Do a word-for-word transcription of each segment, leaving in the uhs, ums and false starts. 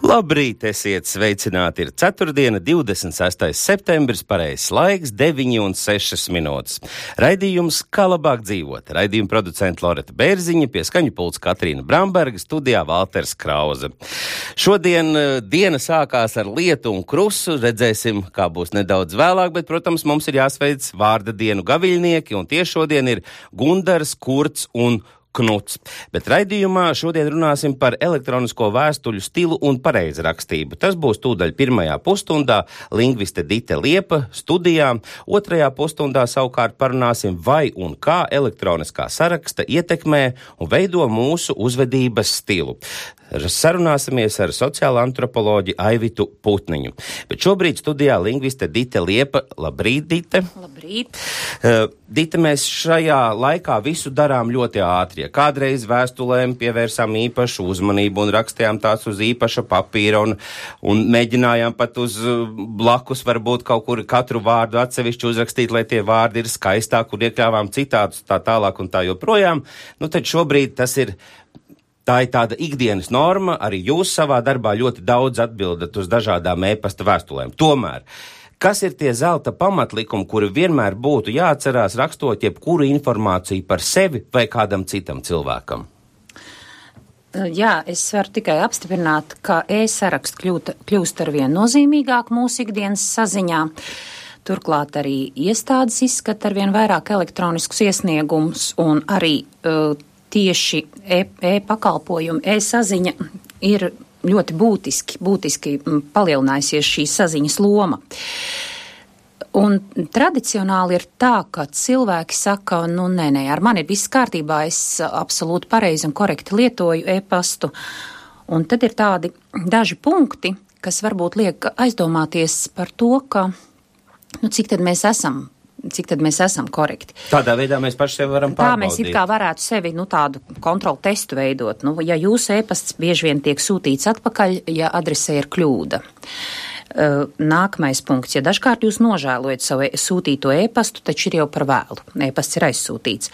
Labrīt, esiet sveicināti, ir ceturtdiena, divdesmit sestais septembris, pareizs laiks, deviņi un sešas minūtes. Raidījums Kā labāk dzīvot. Raidījuma producenta Loreta Bērziņa, pie skaņu pults Katrīna Bramberga, studijā Valters Krauze. Šodien diena sākās ar lietu un krusu, redzēsim, kā būs nedaudz vēlāk, bet, protams, mums ir jāsveic vārda dienu gaviļnieki, un tieši šodien ir Gundars, Kurts un Knuts. Bet raidījumā šodien runāsim par elektronisko vēstuļu stilu un pareizrakstību. Tas būs tūdaļ pirmajā pusstundā lingviste Dite Liepa studijā. Otrajā pusstundā savukārt parunāsim, vai un kā elektroniskā saraksta ietekmē un veido mūsu uzvedības stilu. Sarunāsimies ar sociālo antropoloģi Aivitu Putniņu. Bet šobrīd studijā lingviste Dite Liepa. Labrīt, Dite. Labrīt. Uh, Dite, mēs šajā laikā visu darām ļoti ātri. Kādreiz vēstulēm pievērsām īpašu uzmanību un rakstījām tās uz īpaša papīra un, un mēģinājām pat uz blakus varbūt kaut kur katru vārdu atsevišķi uzrakstīt, lai tie vārdi ir skaistāk un iekļāvām citātus tā tālāk un tā joprojām. Nu tad šobrīd tas ir Tā ir tāda ikdienas norma, arī jūs savā darbā ļoti daudz atbildat uz dažādām e-pasta vēstulēm. Tomēr, kas ir tie zelta pamatlikumi, kuri vienmēr būtu jāatcerās rakstot jebkuru informāciju par sevi vai kādam citam cilvēkam? Jā, es varu tikai apstiprināt, ka e-saraksts kļūt, kļūst arvien nozīmīgāk mūsu ikdienas saziņā. Turklāt arī iestādes izskata arvien vairāk elektroniskus iesniegumus un arī uh, tieši e-pakalpojumi, e-saziņa ir ļoti būtiski, būtiski palielinājusies šī saziņas loma. Un tradicionāli ir tā, ka cilvēki saka, nu nē, nē, ar mani ir viss kārtībā, es absolūti pareizi un korekti lietoju e-pastu. Un tad ir tādi daži punkti, kas varbūt liek aizdomāties par to, ka, nu cik tad mēs esam cik tad mēs esam korekti. Tādā veidā mēs paši sevi varam pārbaudīt. Tā mēs it kā varētu sevi, nu, tādu kontrolu testu veidot. Nu, ja jūsu e-pasts bieži vien tiek sūtīts atpakaļ, ja adresē ir kļūda. Uh, nākamais punkts, ja dažkārt jūs nožēlojat savu sūtīto e-pastu, taču ir jau par vēlu. E-pasts ir aizsūtīts.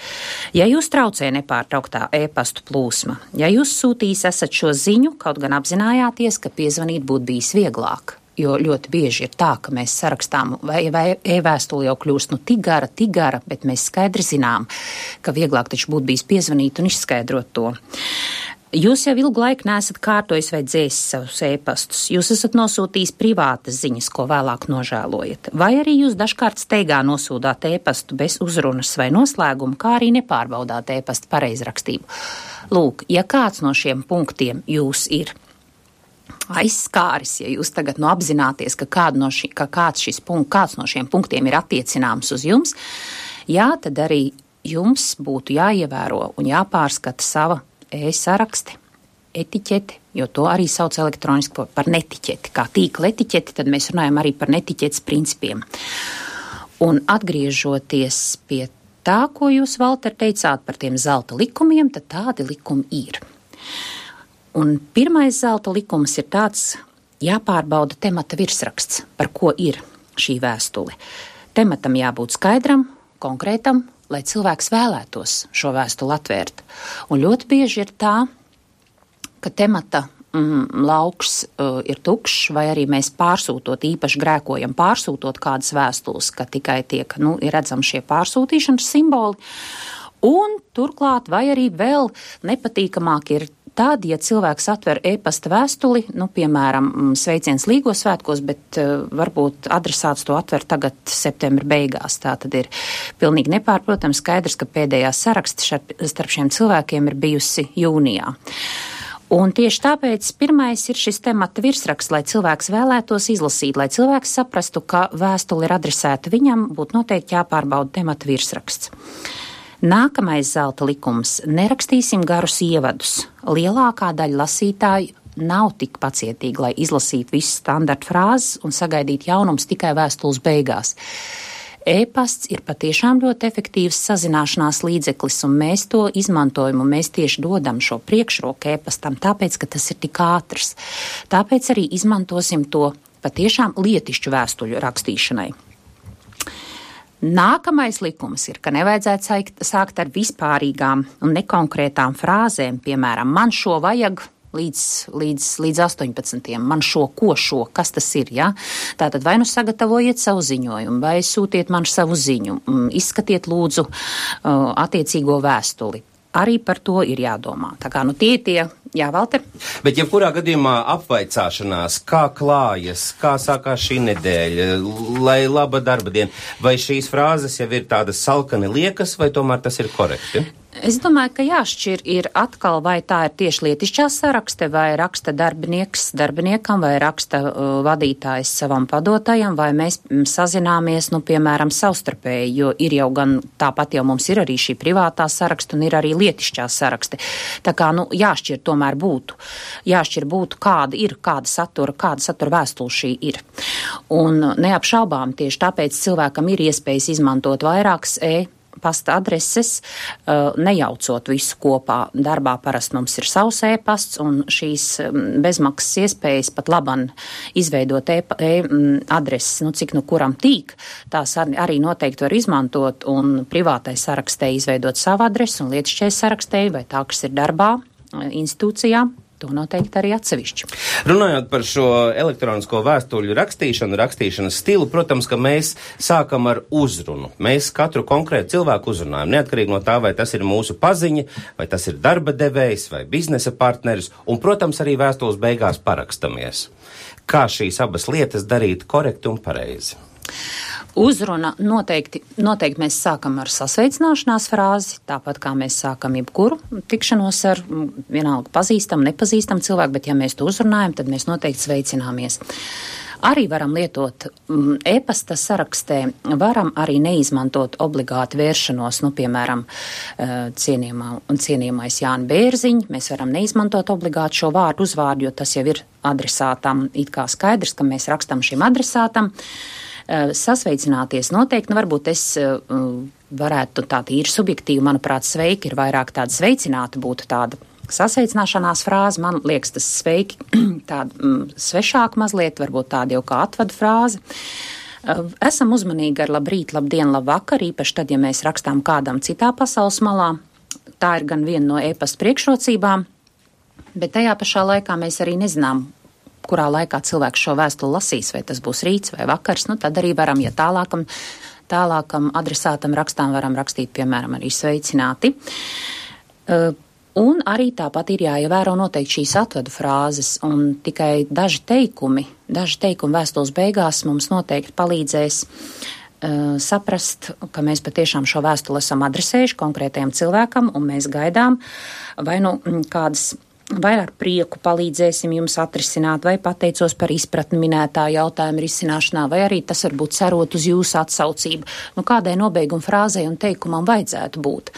Ja jūs traucē nepārtrauktā e-pastu plūsma, ja jūs sūtījis esat šo ziņu, kaut gan apzinājāties, ka piezvanīt būtu bijis vieglāk. Jo ļoti bieži ir tā, ka mēs sarakstām, vai, vai e-vēstuli jau kļūst nu tik gara, tik gara, bet mēs skaidri zinām, ka vieglāk taču būtu bijis piezvanīt un izskaidrot to. Jūs jau ilgu laiku neesat kārtojis vai dzēsis savus e-pastus. Jūs esat nosūtījis privātas ziņas, ko vēlāk nožēlojat. Vai arī jūs dažkārt steigā nosūdāt e-pastu bez uzrunas vai noslēguma, kā arī nepārbaudāt e-pastu pareizrakstību. Lūk, ja kāds no šiem punktiem jūs ir aizskāris, ja jūs tagad nu apzināties, ka, no ši, ka kāds, šis punkt, kāds no šiem punktiem ir attiecināms uz jums, jā, tad arī jums būtu jāievēro un jāpārskata sava e-sarakste, etiķete, jo to arī sauc elektroniski par netiķeti. Kā tīkla etiķeti, tad mēs runājam arī par netiķetes principiem. Un atgriežoties pie tā, ko jūs, Valter, teicāt par tiem zelta likumiem, tad tādi likumi ir. Un pirmais zelta likums ir tāds, jāpārbauda temata virsraksts, par ko ir šī vēstule. Tematam jābūt skaidram, konkrētam, lai cilvēks vēlētos šo vēstuli atvērt. Un ļoti bieži ir tā, ka temata mm, lauks uh, ir tukšs, vai arī mēs pārsūtot, īpaši grēkojam pārsūtot kādas vēstules, ka tikai tiek, nu, ir redzam šie pārsūtīšanas simboli. Un turklāt, vai arī vēl nepatīkamāk ir tad, ja cilvēks atver e-pasta vēstuli, nu, piemēram, sveiciens Līgo svētkos, bet uh, varbūt adresāts to atver tagad septembra beigās. Tā tad ir pilnīgi nepārprotams skaidrs, ka pēdējā saraksta starp šiem cilvēkiem ir bijusi jūnijā. Un tieši tāpēc pirmais ir šis temata virsraksts, lai cilvēks vēlētos izlasīt, lai cilvēks saprastu, ka vēstuli ir adresēta viņam, būtu noteikti jāpārbauda temata virsraksts. Nākamais zelta likums – nerakstīsim garus ievadus. Lielākā daļa lasītāju nav tik pacietīgi, lai izlasītu visas standarta frāzes un sagaidītu jaunums tikai vēstules beigās. E-pasts ir patiešām ļoti efektīvs sazināšanās līdzeklis, un mēs to izmantojam, un mēs tieši dodam šo priekšroku e-pastam, tāpēc, ka tas ir tik ātrs. Tāpēc arī izmantosim to patiešām lietišķu vēstuļu rakstīšanai. Nākamais likums ir, ka nevajadzētu sākt ar vispārīgām un nekonkrētām frāzēm, piemēram, man šo vajag līdz, līdz, līdz astoņpadsmitiem. Man šo, ko šo, kas tas ir, ja? Tātad vai nu sagatavojiet savu ziņojumu, vai sūtiet man savu ziņu, izskatiet lūdzu attiecīgo vēstuli. Arī par to ir jādomā. Tā kā, nu tie tie, jā, Valter? Bet jebkurā gadījumā apvaicāšanās, kā klājas, kā sākās šī nedēļa, lai laba darba diena, vai šīs frāzes jau ir tādas salkani liekas, vai tomēr tas ir korekti? Es domāju, ka jāšķir ir atkal, vai tā ir tieši lietišķā sarakste, vai raksta darbinieks darbiniekam, vai raksta uh, vadītājs savam padotajam, vai mēs sazināmies, nu, piemēram, savstarpēji, jo ir jau gan, tāpat jau mums ir arī šī privātā saraksta un ir arī lietišķā sarakste. Tā kā, nu, jāšķir tomēr būtu. Jāšķir būtu, kāda ir, kāda satura, kāda satura vēstule šī ir. Un neapšaubām tieši tāpēc cilvēkam ir iespējas izmantot vairākas e pasta adreses, nejaucot visu kopā. Darbā parasti mums ir savs e-pasts, un šīs bezmaksas iespējas pat laban izveidot e-adreses, nu cik nu kuram tīk, tās arī noteikti var izmantot, un privātai sarakstē izveidot savu adresi, un lietišķai sarakstē, vai tā, kas ir darbā, institūcijā, to noteikti arī atsevišķi. Runājot par šo elektronisko vēstuļu rakstīšanu, rakstīšanas stilu, protams, ka mēs sākam ar uzrunu. Mēs katru konkrētu cilvēku uzrunājam, neatkarīgi no tā, vai tas ir mūsu paziņa, vai tas ir darba devējs, vai biznesa partneris, un, protams, arī vēstules beigās parakstamies. Kā šīs abas lietas darīt korekti un pareizi? Uzruna noteikti, noteikti mēs sākam ar sasveicināšanās frāzi, tāpat kā mēs sākam jebkuru tikšanos ar vienalga pazīstam, nepazīstam cilvēku, bet ja mēs to uzrunājam, tad mēs noteikti sveicināmies. Arī varam lietot mm, e-pasta sarakstē, varam arī neizmantot obligāti vēršanos, nu, piemēram, cienījumā, cienījumais Jāni Bērziņ, mēs varam neizmantot obligāti šo vārdu uzvārdu, jo tas jau ir adresātam, it kā skaidrs, ka mēs rakstam šim adresātam. Sasveicināties noteikti, nu varbūt es uh, varētu tā tīri subjektīvi, manuprāt, sveiki ir vairāk tāda sveicināta būtu tāda sasveicināšanās frāze, man liekas tas sveiki tāda mm, svešāka mazliet, varbūt tāda jau kā atvadu frāze. Uh, esam uzmanīgi ar labrīt, labdien, labvakar, īpaši tad, ja mēs rakstām kādam citā pasaules malā, tā ir gan viena no e-pasta priekšrocībām, bet tajā pašā laikā mēs arī nezinām, kurā laikā cilvēks šo vēstuli lasīs, vai tas būs rīts vai vakars, nu tad arī varam, ja tālākam, tālākam adresātam rakstām varam rakstīt, piemēram, arī sveicināti. Uh, un arī tāpat ir jāievēro noteikti šīs atvadu frāzes, un tikai daži teikumi, daži teikumi vēstules beigās mums noteikti palīdzēs uh, saprast, ka mēs patiešām šo vēstuli esam adresējuši konkrētajam cilvēkam, un mēs gaidām vai nu kādas vai ar prieku palīdzēsim jums atrisināt, vai pateicos par izpratni minētā jautājuma risināšanā, vai arī tas varbūt cerot uz jūsu atsaucību. Nu, kādai nobeiguma frāzei un teikumam vajadzētu būt.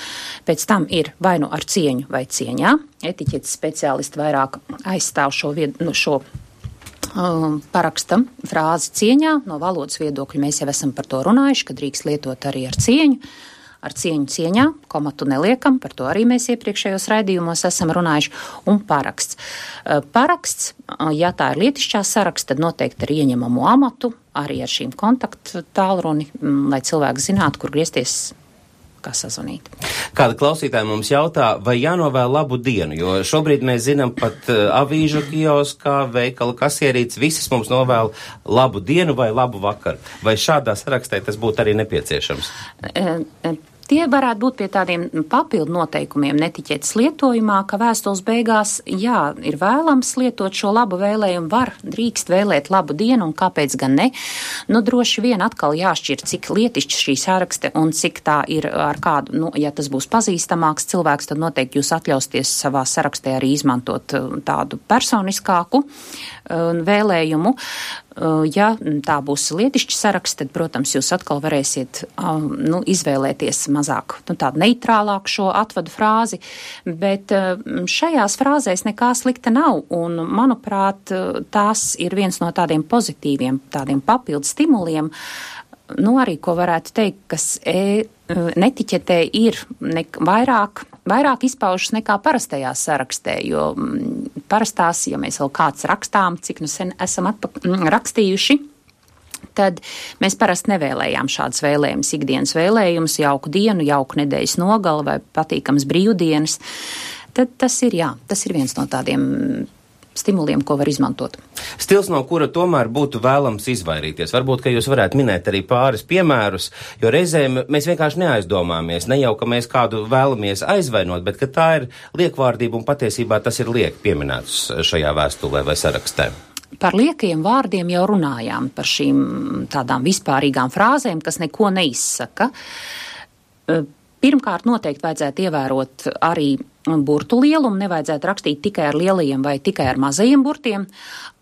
Pēc tam ir vai nu ar cieņu vai cieņā. Etiķetes speciālisti vairāk aizstāv šo, vied, nu, šo um, paraksta frāzi cieņā. No valodas viedokļa mēs jau esam par to runājuši, ka drīkst lietot arī ar cieņu. Ar cieņu cieņā, komatu neliekam, par to arī mēs iepriekšējos raidījumos esam runājuši, un paraksts. Paraksts, ja tā ir lietišķā saraksts, tad noteikti ar ieņemamo amatu, arī ar šīm kontaktu tālruni, lai cilvēks zinātu, kur griezties, kā sazvanīt. Kāda klausītāja mums jautā, vai jānovēl labu dienu, jo šobrīd mēs zinām pat uh, avīžu kioskā, veikala kasierītes, visas mums novēl labu dienu vai labu vakaru. Vai šādā sarakstē tas būtu arī nepieciešams? E, e, Tie varētu būt pie tādiem papildu noteikumiem netiķetes lietojumā, ka vēstules beigās, jā, ir vēlams lietot šo labu vēlējumu, var, drīkst vēlēt labu dienu, un kāpēc gan ne. Nu, droši vien atkal jāšķir, cik lietišķi šī sarakste un cik tā ir ar kādu, nu, ja tas būs pazīstamāks cilvēks, tad noteikti jūs atļausties savā sarakstē arī izmantot tādu personiskāku uh, vēlējumu. Ja tā būs lietišķi saraksts, tad, protams, jūs atkal varēsiet um, nu, izvēlēties mazāk, nu, tādu neitrālāku šo atvadu frāzi, bet um, šajās frāzēs nekā slikta nav, un, manuprāt, tās ir viens no tādiem pozitīviem, tādiem papildu stimuliem, nu, arī, ko varētu teikt, kas e, netiķetē ir ne, vairāk, vairāk izpaužas nekā parastajā sarakstē, jo m, parastās, ja mēs vēl kāds rakstām, cik nu sen esam atpak, m, rakstījuši, tad mēs parasti nevēlējām šādas vēlējumus, ikdienas vēlējumus, jauku dienu, jauku nedēļas nogali vai patīkams brīvdienas. tad tas ir, jā, tas ir viens no tādiem stimuliem, ko var izmantot. Stils, no kura tomēr būtu vēlams izvairīties. Varbūt, ka jūs varētu minēt arī pāris piemērus, jo reizēm mēs vienkārši neaizdomāmies, ne jau, ka mēs kādu vēlamies aizvainot, bet ka tā ir liekvārdība un patiesībā tas ir liek pieminēts šajā vēstulē vai sarakstē. Par liekajiem vārdiem jau runājām, par šīm tādām vispārīgām frāzēm, kas neko neizsaka. Pirmkārt, noteikti vajadzētu ievērot arī burtu lielumu, nevajadzētu rakstīt tikai ar lielajiem vai tikai ar mazajiem burtiem.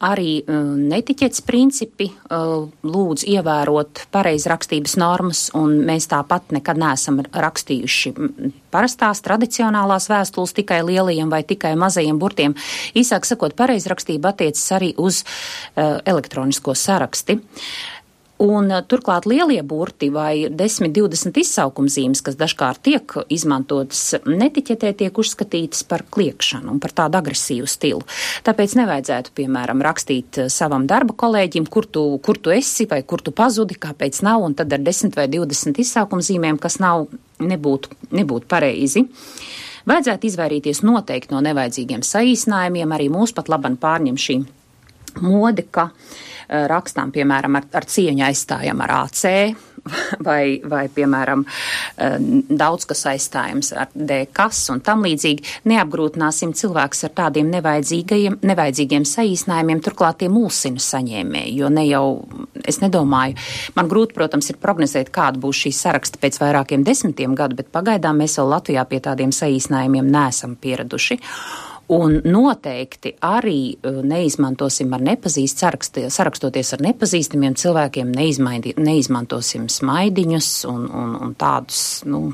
Arī uh, netiķetes principi uh, lūdz ievērot pareizrakstības normas, un mēs tāpat nekad neesam rakstījuši parastās tradicionālās vēstules tikai lielajiem vai tikai mazajiem burtiem. Īsāk sakot, pareizrakstība attiecas arī uz uh, elektronisko saraksti. Un turklāt lielie burti vai desmit divdesmit izsaukumzīmes, kas dažkārt tiek izmantotas netiķetē, tiek uzskatītas par kliekšanu un par tādu agresīvu stilu. Tāpēc nevajadzētu, piemēram, rakstīt savam darba kolēģim, kur tu, kur tu esi vai kur tu pazudi, kāpēc nav, un tad ar desmit vai divdesmit izsaukumzīmēm, kas nav, nebūtu, nebūtu pareizi. Vajadzētu izvairīties noteikti no nevajadzīgiem saīsinājumiem, arī mūs pat laban pārņem šī mode, ka rakstām, piemēram, ar, ar cieņu aizstājam ar A C vai, vai, piemēram, daudz kas aizstājams ar D kas un tam līdzīgi. Neapgrūtināsim cilvēks ar tādiem nevajadzīgajiem, nevajadzīgiem saīsinājumiem, turklāt tie mulsina saņēmēji, jo ne jau, es nedomāju, man grūti, protams, ir prognozēt, kāda būs šī saraksta pēc vairākiem desmitiem gadu, bet pagaidām mēs vēl Latvijā pie tādiem saīsinājumiem neesam pieraduši. Un noteikti arī neizmantosim ar nepazīst, sarakst, sarakstoties ar nepazīstamiem cilvēkiem, neizmaidi, neizmantosim smaidiņus un, un, un tādus, nu...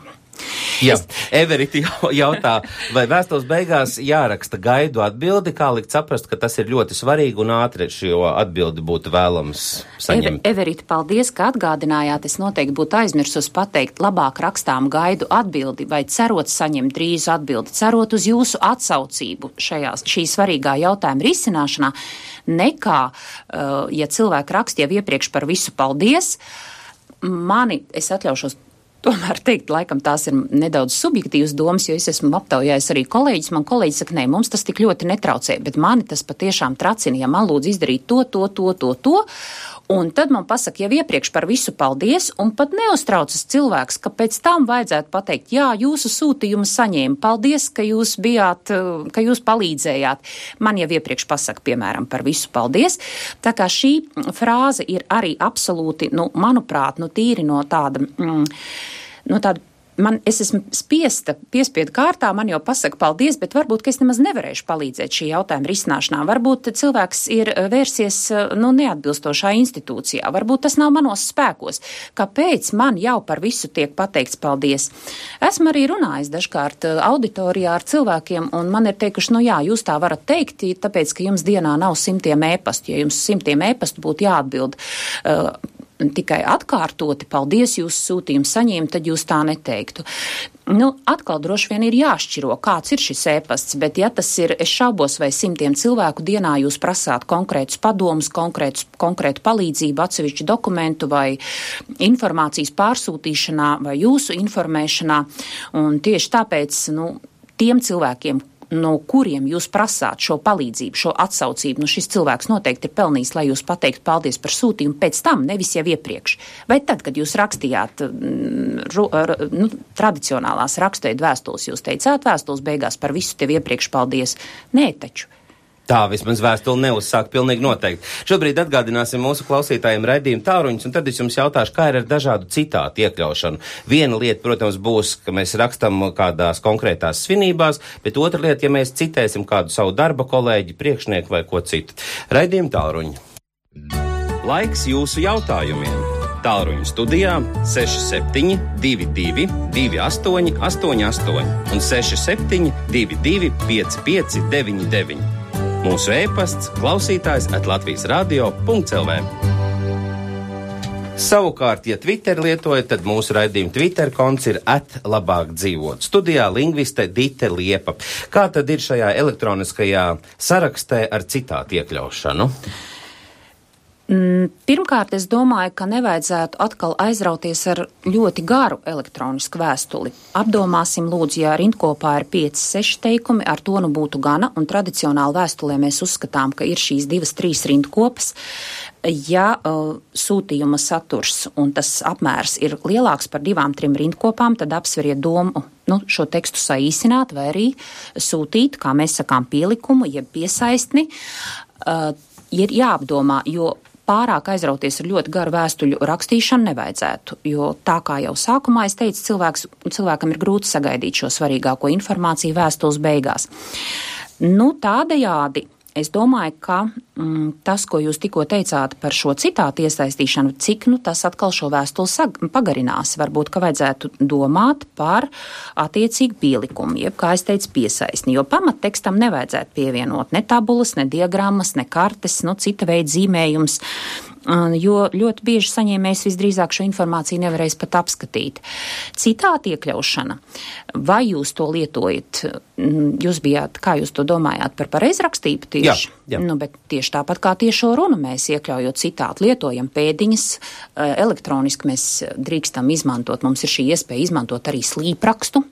Jā, Everita jautā, vai vēstules beigās jāraksta gaidu atbildi, kā likt saprast, ka tas ir ļoti svarīgi un ātri šo atbildi būtu vēlams saņemt. Everita, paldies, ka atgādinājāt. Es noteikti būtu aizmirsus pateikt, labāk rakstām gaidu atbildi vai cerot saņemt drīzu atbildi, cerot uz jūsu atsaucību šajās, šī svarīgā jautājuma risināšanā, nekā, uh, ja cilvēki rakst jau iepriekš par visu paldies, mani, es atļaušos tomēr teikt, laikam tās ir nedaudz subjektīvas domas, jo es esmu aptaujājis arī kolēģis. Man kolēģis saka, nē, mums tas tik ļoti netraucē, bet mani tas patiešām tracina, ja man lūdz izdarīt to, to, to, to, to, un tad man pasaka jau iepriekš par visu paldies, un pat neuztraucas cilvēks, ka pēc tam vajadzētu pateikt, jā, jūsu sūtījumu saņēma, paldies, ka jūs bijāt, ka jūs palīdzējāt. Man jau iepriekš pasaka, piemēram, par visu paldies. Tā kā šī frāze ir arī absolūti, nu, manuprāt, nu, tīri no tāda... Mm, No tāda, man, es esmu spiesta, piespiedu kārtā, man jau pasaka paldies, bet varbūt, ka es nemaz nevarēšu palīdzēt šī jautājuma risināšanā. Varbūt cilvēks ir vērsies, nu, neatbilstošā institūcijā. Varbūt tas nav manos spēkos. Kāpēc man jau par visu tiek pateikts paldies? Esmu arī runājis dažkārt auditorijā ar cilvēkiem, un man ir teikuši, nu jā, jūs tā varat teikt, tāpēc, ka jums dienā nav simtiem ēpastu. Ja jums simtiem ēpastu būtu jāatbild uh, tikai atkārtoti, paldies, jūsu sūtījumu saņēma, tad jūs tā neteiktu. Nu, atkal droši vien ir jāšķiro, kāds ir šis ēpasts, bet ja tas ir, es šaubos, vai simtiem cilvēku dienā jūs prasāt konkrētus padomus, konkrētus, konkrētu palīdzību, atsevišķu dokumentu vai informācijas pārsūtīšanā vai jūsu informēšanā, un tieši tāpēc, nu, tiem cilvēkiem, no kuriem jūs prasāt šo palīdzību, šo atsaucību, nu šis cilvēks noteikti ir pelnījis, lai jūs pateiktu paldies par sūtījumu pēc tam, nevis jau iepriekš. Vai tad, kad jūs rakstījāt ru, nu, tradicionālās rakstveidu vēstules, jūs teicāt vēstules beigās par visu tev iepriekš paldies? Nē, taču. Tā vismaz vēstuli neuzsāk pilnīgi noteikti. Šobrīd atgādināsim mūsu klausītājiem raidījumu tāruņus, un tad es jums jautāšu, kā ir ar dažādu citātu iekļaušanu. Viena lieta, protams, būs, ka mēs rakstam kādās konkrētās svinībās, bet otra lieta, ja mēs citēsim kādu savu darba kolēģi, priekšnieku vai ko citu. Raidījumu tāruņi. Laiks jūsu jautājumiem. Tālruņu studijā seši septiņi divi divi divi astoņi astoņi astoņi un seši septiņi divi divi pieci pieci deviņi deviņi. Mūsu e-pasts klausītājs at latvijas radio punkts el vē. Savukārt, ja Twitter lietojat, tad mūsu raidījuma Twitter konts ir at labāk dzīvot. Studijā lingviste Dite Liepa. Kā tad ir šajā elektroniskajā sarakstē ar citātu iekļaušanu? Pirmkārt, es domāju, ka nevajadzētu atkal aizrauties ar ļoti garu elektronisku vēstuli. Apdomāsim, lūdzu, ja rindkopā ir pieci, seši teikumi, ar to nu būtu gana, un tradicionāli vēstulē mēs uzskatām, ka ir šīs divas, trīs rindkopas. Ja uh, sūtījuma saturs un tas apmērs ir lielāks par divām, trim rindkopām, tad apsveriet domu, nu, šo tekstu saīsināt vai arī sūtīt, kā mēs sakām, pielikumu, jeb piesaistni. Uh, ir jāapdomā, jo pārāk aizrauties ar ļoti garu vēstuļu rakstīšanu nevajadzētu, jo tā kā jau sākumā es teicu, cilvēks, cilvēkam ir grūti sagaidīt šo svarīgāko informāciju vēstules beigās. Nu, tādējādi es domāju, ka mm, tas, ko jūs tikko teicāt par šo citātu iesaistīšanu, cik nu tas atkal šo vēstuli sag- pagarinās. Varbūt, ka vajadzētu domāt par attiecīgu pielikumu, jeb, kā es teicu, piesaistni, jo pamattekstam nevajadzētu pievienot ne tabulas, ne diagrammas, ne kartes, nu cita veida zīmējums, jo ļoti bieži saņēmējs visdrīzāk šo informāciju nevarēs pat apskatīt. Citāta iekļaušana, vai jūs to lietojat, jūs bijāt, kā jūs to domājāt, par pareizrakstību tieši? Jā, jā. Nu, bet tieši tāpat kā tiešo runu mēs iekļaujot citātu, lietojam pēdiņas, elektroniski mēs drīkstam izmantot, mums ir šī iespēja izmantot arī slīprakstu,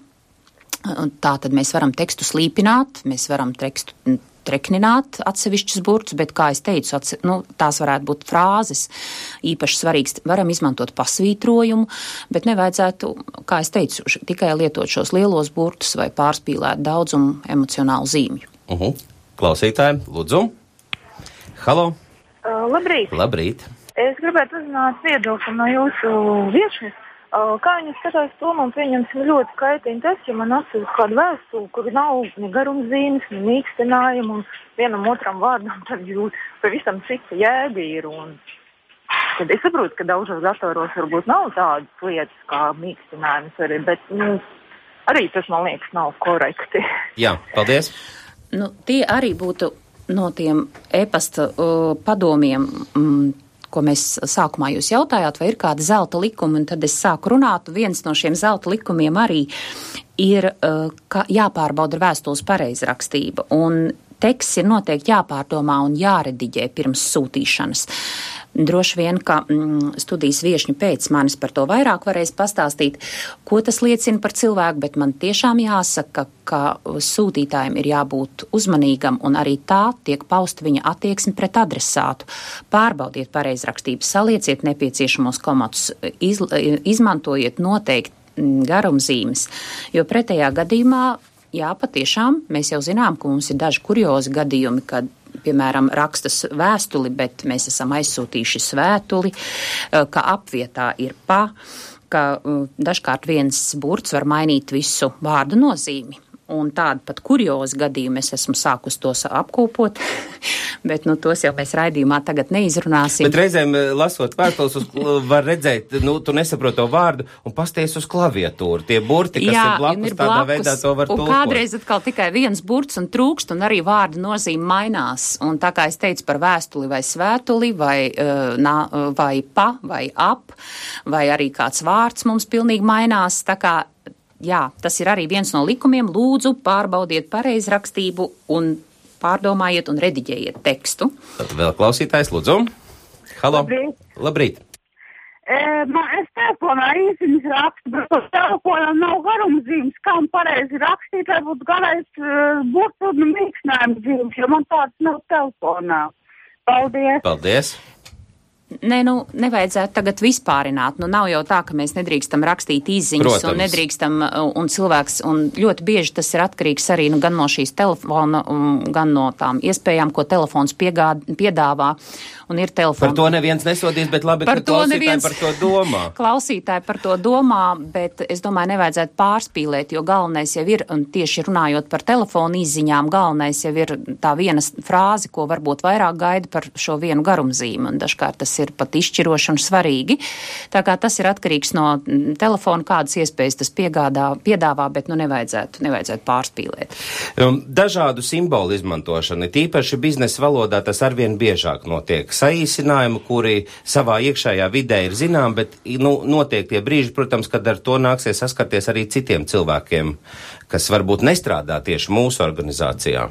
tā tad mēs varam tekstu slīpināt, mēs varam tekstu treknināt atsevišķus burtus, bet, kā es teicu, atse, nu, tās varētu būt frāzes. Īpaši svarīgs, varam izmantot pasvītrojumu, bet nevajadzētu, kā es teicu, tikai lietot šos lielos burtus vai pārspīlēt daudzumu emocionālu zīmju. Uh-huh. Klausītāji, lūdzu. Halo. Uh, labrīt. Labrīt. Es gribētu uzzināt viedokli no jūsu viešņas. Uh, kā viņi skatās to, man pieņemsim ļoti kaitīgi tas, ja man atsūta kādu vēstuli, kur nav ne garumzīmes, ne mīkstinājumu, un vienam otram vārdam tad jūt pavisam cita jēga ir. Un tad es saprotu, ka daudzos datoros varbūt nav tādas lietas kā mīkstinājums arī, bet nu, arī tas, man liekas, nav korekti. Jā, paldies. Nu, tie arī būtu no tiem e-pasta uh, padomiem, mm, ko mēs sākumā jūs jautājāt, vai ir kāda zelta likuma, un tad es sāku runāt. Viens no šiem zelta likumiem arī ir, ka jāpārbauda vēstules pareizrakstība, un teksts ir noteikti jāpārdomā un jārediģē pirms sūtīšanas. Droši vien, ka mm, studijas viešņi pēc manis par to vairāk varēs pastāstīt, ko tas liecina par cilvēku, bet man tiešām jāsaka, ka sūtītājiem ir jābūt uzmanīgam un arī tā tiek pausta viņa attieksme pret adresātu. Pārbaudiet pareizrakstību, salieciet nepieciešamos komatus, iz, izmantojiet noteikti garumzīmes, jo pretējā gadījumā, jā, patiešām, mēs jau zinām, ka mums ir daži kuriozi gadījumi, kad piemēram, rakstas vēstuli, bet mēs esam aizsūtījuši svētuli, ka apvietā ir pa, ka dažkārt viens burts var mainīt visu vārdu nozīmi. Un tādu pat kuriozu gadījumu es esmu sākus tos apkopot, bet nu, tos jau mēs raidījumā tagad neizrunāsim. Bet reizēm, lasot vēstules, var redzēt, nu, tu nesaproti to vārdu un pasties uz klaviatūru. Tie burti, kas Jā, ir blakus, ir tādā blakus, veidā to var tulkot. Un kādreiz atkal tikai viens burts un trūkst, un arī vārdu nozīme mainās. Un tā kā es teicu par vēstuli vai svētuli, vai, uh, vai pa, vai ap, vai arī kāds vārds mums pilnīgi mainās, tā kā jā, tas ir arī viens no likumiem. Lūdzu, pārbaudiet pareizrakstību un pārdomājiet un rediģējiet tekstu. Tad vēl klausītājs, lūdzu. Halo. Labrīt. Labrīt. E, man, es telefonā īsiņas rakstu, bet telefonam nav garumzīmes, kā man pareizi rakstīt, lai būtu garais uh, burtu un mīkstinājums zīmes, jo man tāds nav telefonā. Paldies. Paldies. Nē, nu, nevajadzētu tagad vispārināt. Nu, nav jau tā, ka mēs nedrīkstam rakstīt izziņas. Protams. Un nedrīkstam, un cilvēks, un ļoti bieži tas ir atkarīgs arī nu, gan no šīs telefona, gan no tām iespējām, ko telefons piegād, piedāvā. Un ir telefons. Par to neviens nesodīs, bet labi, par ka klausītāji neviens... par to domā. Klausītāji par to domā, bet es domāju, nevajadzētu pārspīlēt, jo galvenais jau ir, un tieši runājot par telefonu izziņām, galvenais jau ir tā viena frāze, ko varbūt vairāk gaida par šo vienu garumzīmi, un dažkārt tas ir pat izšķiroši un svarīgi. Tā kā tas ir atkarīgs no telefona, kādas iespējas tas piegādā, piedāvā, bet nu nevajadzētu, nevajadzētu pārspīlēt. Dažādu simbolu izmantošana, tīpaši biznesa valodā tas arvien biežāk notiek. Saīsinājumi, kuri savā iekšējā vidē ir zinām, bet nu, notiek tie brīži, protams, kad ar to nāksies saskarties arī citiem cilvēkiem, kas varbūt nestrādā tieši mūsu organizācijā.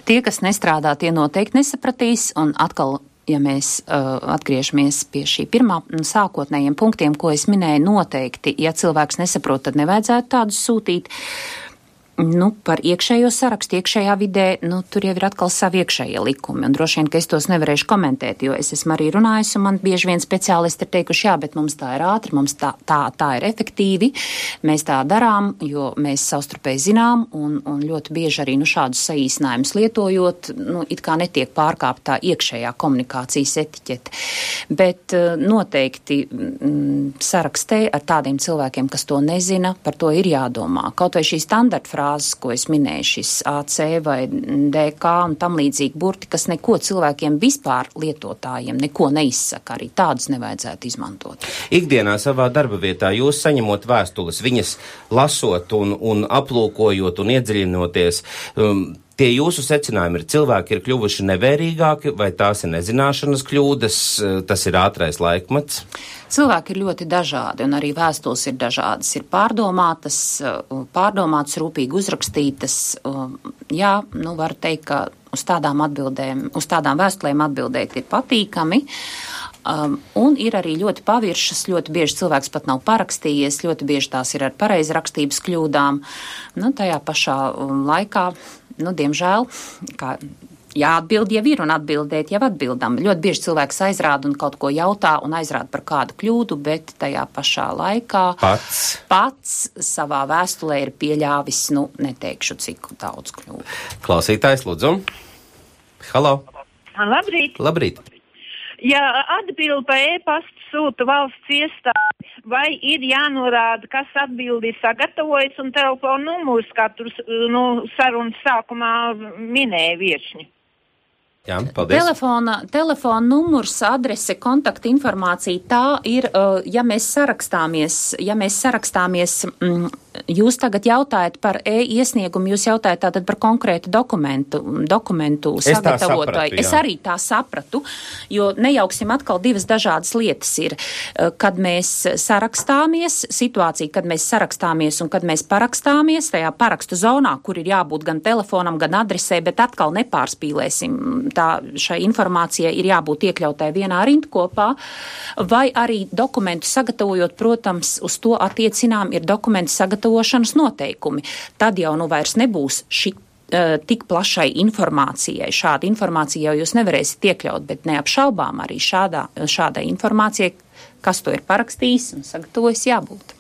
Tie, kas nestrādā, tie noteikti nesapratīs, un atkal ja mēs uh, atgriežamies pie šī pirmā sākotnējiem punktiem, ko es minēju, noteikti, ja cilvēks nesaprot, tad nevajadzētu tādus sūtīt. Nu, par iekšējo sarakstu, iekšējā vidē, nu, tur jau ir atkal savi iekšējie likumi, un droši vien, ka es tos nevarēšu komentēt, jo es esmu arī runājis, un man bieži vien speciālisti ir teikuši, jā, bet mums tā ir ātri, mums tā, tā, tā ir efektīvi, mēs tā darām, jo mēs savstarpēji zinām, un, un ļoti bieži arī, nu, šādus saīsinājumus lietojot, nu, it kā netiek pārkāptā iekšējā komunikācijas etiķete. Bet noteikti m, sarakstē ar tādiem cilvēkiem, kas to nezina, par to ir jādomā. Kaut vai šī standarta frāze, ko es minēju, šis A C vai D K un tam līdzīgi burti, kas neko cilvēkiem vispār lietotājiem neko neizsaka, arī tādus nevajadzētu izmantot. Ikdienā savā darba vietā jūs saņemot vēstules, viņas lasot un, un aplūkojot un iedziļinoties, um, tie jūsu secinājumi ir, cilvēki ir kļuvuši nevērīgāki, vai tās ir nezināšanas kļūdas, tas ir ātrais laikmets? Cilvēki ir ļoti dažādi, un arī vēstules ir dažādas. Ir pārdomātas, pārdomātas, rūpīgi uzrakstītas. Jā, nu var teikt, ka uz tādām atbildēm, uz tādām vēstulēm atbildēt ir patīkami. Um, un ir arī ļoti paviršas, ļoti bieži cilvēks pat nav parakstījies, ļoti bieži tās ir ar pareizrakstības kļūdām. Nu, tajā pašā laikā, nu, diemžēl, kā jāatbild jau ir un atbildēt jau atbildam. Ļoti bieži cilvēks aizrāda un kaut ko jautā un aizrāda par kādu kļūdu, bet tajā pašā laikā pats, pats savā vēstulē ir pieļāvis, nu, neteikšu, cik daudz kļūdu. Klausītājs, lūdzu. Halo. Labrīt. Labrīt. Ja atbild pa e-pastu sūta valsts iestāde, vai ir jānorāda, kas atbildi ir sagatavojis un telefonu numurs, kā tur nu, sarunas sākumā minēja viešņi? Jā, paldies. Telefona, telefona numurs, adrese, kontakta informācija, tā ir, ja mēs sarakstāmies, ja mēs sarakstāmies, jūs tagad jautājat par e-iesniegumu, jūs jautājat tātad par konkrētu dokumentu, dokumentu sagatavotāju. Es arī tā sapratu, jo nejauksim atkal divas dažādas lietas ir, kad mēs sarakstāmies, situācija, kad mēs sarakstāmies un kad mēs parakstāmies, tajā parakstu zonā, kur ir jābūt gan telefonam, gan adresē, bet atkal nepārspīlēsim. Tā šai informācijai ir jābūt iekļautai vienā rindkopā, vai arī dokumentu sagatavojot, protams, uz to attiecinām ir dokumentu sagatavošanas noteikumi. Tad jau nu vairs nebūs šī uh, tik plašai informācijai. Šāda informācija jau jūs nevarēsiet iekļaut, bet neapšaubām arī šādā, šādai informācijai, kas to ir parakstījis un sagatavojis, jābūt.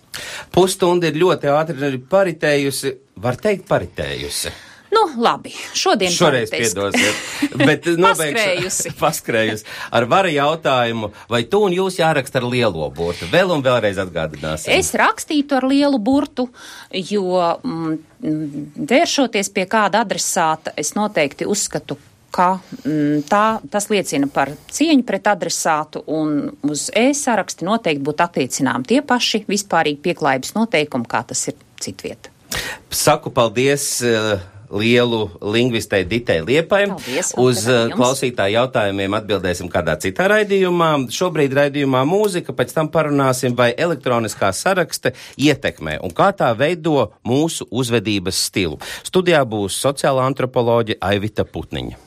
Pusstunda ir ļoti ātri paritējusi, var teikt paritējusi. Nu, labi, šodien Šoreiz piedosiet, bet paskrējusi. paskrējusi. Ar vara jautājumu, vai tu un jūs jāraksta ar lielo burtu? Vēl un vēlreiz atgādināsim. Es rakstītu ar lielu burtu, jo mm, vēršoties pie kāda adresāta, es noteikti uzskatu, ka mm, tā, tas liecina par cieņu pret adresātu, un uz e-saraksti noteikti būtu attiecinām tie paši vispārīgi pieklājības noteikumi, kā tas ir citvieta. Saku paldies uh, lielu lingvistei Ditai Liepai. Paldies, uz uh, klausītāju jautājumiem atbildēsim kādā citā raidījumā. Šobrīd raidījumā mūzika, pēc tam parunāsim, vai elektroniskā sarakste ietekmē un kā tā veido mūsu uzvedības stilu. Studijā būs sociālā antropoloģe Aivita Putniņa.